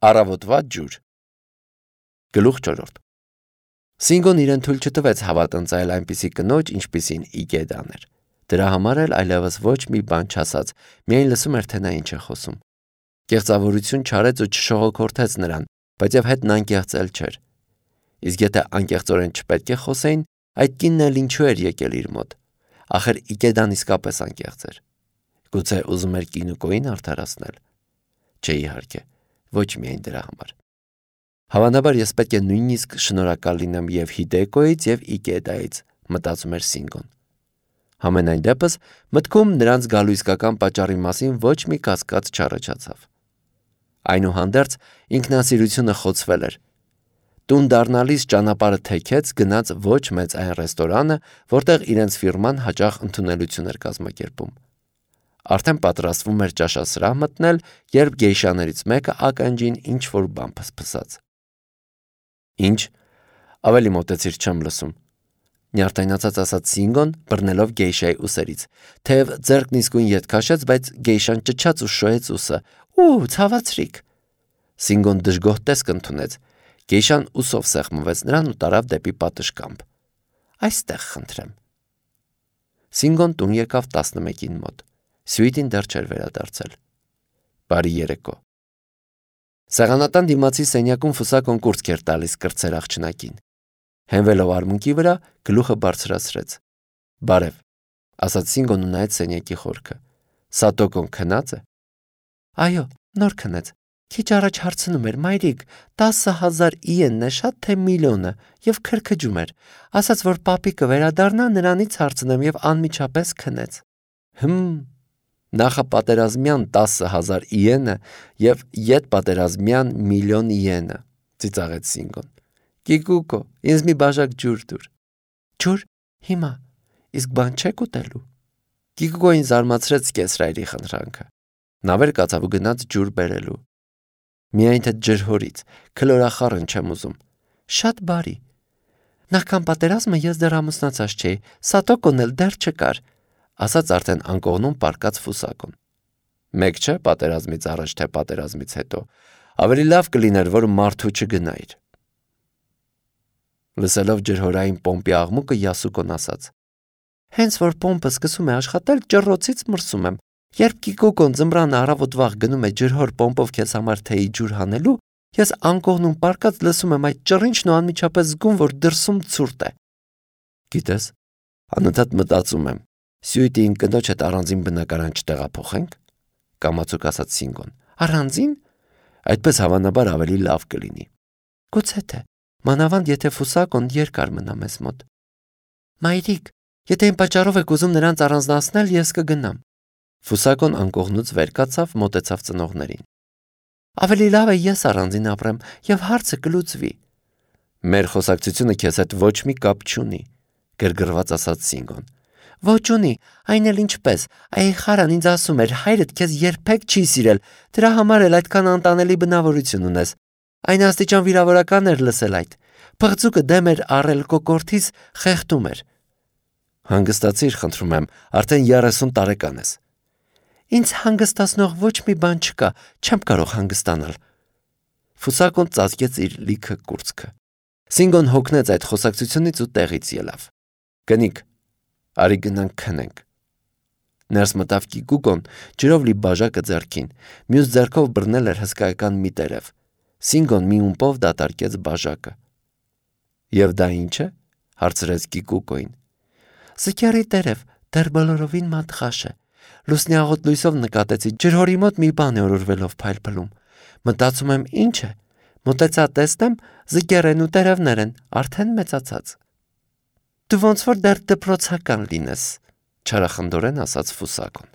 Առավոտվա ջուր։ Գլուխ 4. Սինգոն իրեն թույլ չտվեց հավատընծայել այնպիսի կնոջ, ինչպիսին Իգեդան էր։ Դրա համար էլ այլևս ոչ մի բան չասաց, միայն լսում էր, թե նա ինչ է խոսում։ Կեղծավորություն չարեց ու չշողոքորթեց նրան, բայց եւ հետն անկեղծ էլ չէր։ Իսկ եթե անկեղծորեն չպետք է խոսեին, այդ կինն էլ ինչու էր եկել իր մոտ։ Ախր Իգեդան իսկապես անկեղծ էր։ Գուցե ուզում էր կինուկոին արդարացնել։ Չէ, իհարկե, ոչ միայն դրա համար։ Հավանաբար ես պետք է նույնիսկ շնորհակալ լինեմ եւ Հիդեկոյից եւ Իգեդայից, մտածում էր Սինգոն։ Համենայն դեպս մտքում նրանց գալու իսկական պատճառի մասին ոչ մի կասկած չառաջացավ։ Այնուհանդերձ ինքնասիրությունը խոցվել էր։ Տուն դառնալիս ճանապարհը թեքեց, գնաց ոչ մեծ այն ռեստորանը, որտեղ իրենց ֆիրման հաճախ ընդունելություն էր կազմակերպում։ Արդեն պատրաստվում էր ճաշասրահ մտնել, երբ գեյշաներից մեկը ականջին ինչ-որ բան փսփսաց։ Ինչ, ավելի մոտեցիր, չեմ լսում, նյարդայնացած ասաց Սինգոն, բռնելով գեյշայի ուսերից, թեև ձեռքն իսկույն ետ քաշեց, բայց գեյշան ճչաց ու շոյեց ուսը։ Ու, ցավացրիք։ Սինգոն դժգոհ տեսք ընդունեց։ Գեյշան ուսով սեղմվեց նրան ու տարավ դեպի պատշգամբ։ Այստեղ խնդրեմ։ Սինգոն տուն եկավ 11-ին մոտ։ Սյուիտին դեռ չէր վերադարձել։ Բարի երեկո։ Սեղանատան դիմացի սենյակում Ֆուսակոն կուրծք էր տալիս կրտսեր աղջնակին։ Հենվելով արմունկի վրա, գլուխը բարձրացրեց։ Բարև, ասաց Սինգոն ու նայեց սենյակի խորքը։ Սատոկոն քնած է։ Այո, նոր քնեց։ Քիչ առաջ հարցնում էր, մայրիկ, 10,000 իենն է շատ թե միլիոնը, եւ քրքջում էր։ Ասաց, որ պապիկը վերադառնա, նրանից հարցնեմ եւ անմիջապես քնեց։ Նախապատերազմյան 10,000 իենը եւ ետպատերազմյան միլիոն իենը, ծիծաղեց Սինգոն։ Կիկուկո, ինձ մի բաժակ ջուր տուր։ Ջուր, հիմա, իսկ բան չեք ուտելու։ Կիկուկոին զարմացրեց կեսրայրի խնդրանքը։ Նա վեր կացավ ու գնաց ջուր բերելու։ Միայն թե ջրհորից, քլորախառն չեմ ուզում։ Շատ բարի։ Նախքան պատերազմը ես դեռ ամուսնացած չէի, Սատոկոն էլ դեռ չկար, ասաց արդեն անկողնում պառկած Ֆուսակոն։ Մեկ չէ պատերազմից առաջ թե պատերազմից հետո, ավելի լավ կլիներ, որ մարդու չգնայր։ Լսելով ջրհորային պոմպի աղմուկը Յասուկոն ասաց. Հենց որ պոմպը սկսում է աշխատել, ջռոցից մրսում եմ։ Երբ Կիկոկոն ձմռանը առավոտվաղ գնում է ջրհոր պոմպով քեզ համար թեյի ջուր հանելու, ես անկողնում պառկած լսում եմ այդ ճռինչն ու անմիջապես զգում, որ դրսում ցուրտ է։ Գիտես, անընդհատ մտածում եմ, Սյուիտին կնոջ հետ առանձին բնակարան չտեղափոխենք, կամացուկ ասաց Սինգոն։ Առանձին? Այդպես հավանաբար ավելի լավ կլինի։ Գուցե թե, մանավանդ եթե Ֆուսակոն երկար մնա մեզ մոտ։ Մայրիկ, եթե այն պատճառով եք ուզում նրանց առանձնացնել, ես կգնամ։ Ֆուսակոն անկողնուց վեր կացավ, մոտեցավ ծնողներին։ Ավելի լավ է ես առանձին ապրեմ եւ հարցը կլուծվի։ Մեր խոսակցությունը քեզ հետ ոչ մի կապ չունի, գրգռված ասաց Սինգոն։ Ոչ ունի, այն էլ ինչպես, այ խարան ինձ ասում էր, հայրդ քեզ երբեք չի սիրել, դրա համար էլ այդքան անտանելի բնավորություն ունես։ Այն աստիճան վիրավորական էր լսել այդ։ Փղձուկը դեմ էր առել կոկորտից, խեղդում էր։ Հանգստացիր, խնդրում եմ, արդեն 30 տարեկան ես։ Ինձ հանգստացնող ոչ մի բան չկա, չեմ կարող հանգստանալ։ Ֆուսակոն ծածկեց իր լիքը կուրծքը։ Սինգոն հոգնեց այդ խոսակցությունից ու տեղից ելավ։ Կնիկ, արի գնանք քնենք։ Ներս մտավ Կիկուկոն, ջրով լի բաժակը ձեռքին, մյուս ձեռքով բռնել էր հսկայական մի տերև։ Սինգոն մի ումպով դատարկեց բաժակը։ Եվ դա ինչ է, հարցրեց Կիկուկոին։ Զկյարի տերև, դեռ բոլորովին մատղաշ է։ Լուսնի աղոտ լույսով նկատեցի, ջրհորի մոտ մի բան է օրորվելով փայլփլում։ Մտածում եմ ինչ է, մոտեցա տեսնեմ, զկերեն ու տերևներ են, արդեն մեծացած։ Դու ոնց որ դեռ դպրոցական լինես, չարախնդորեն ասաց Ֆուսակոն։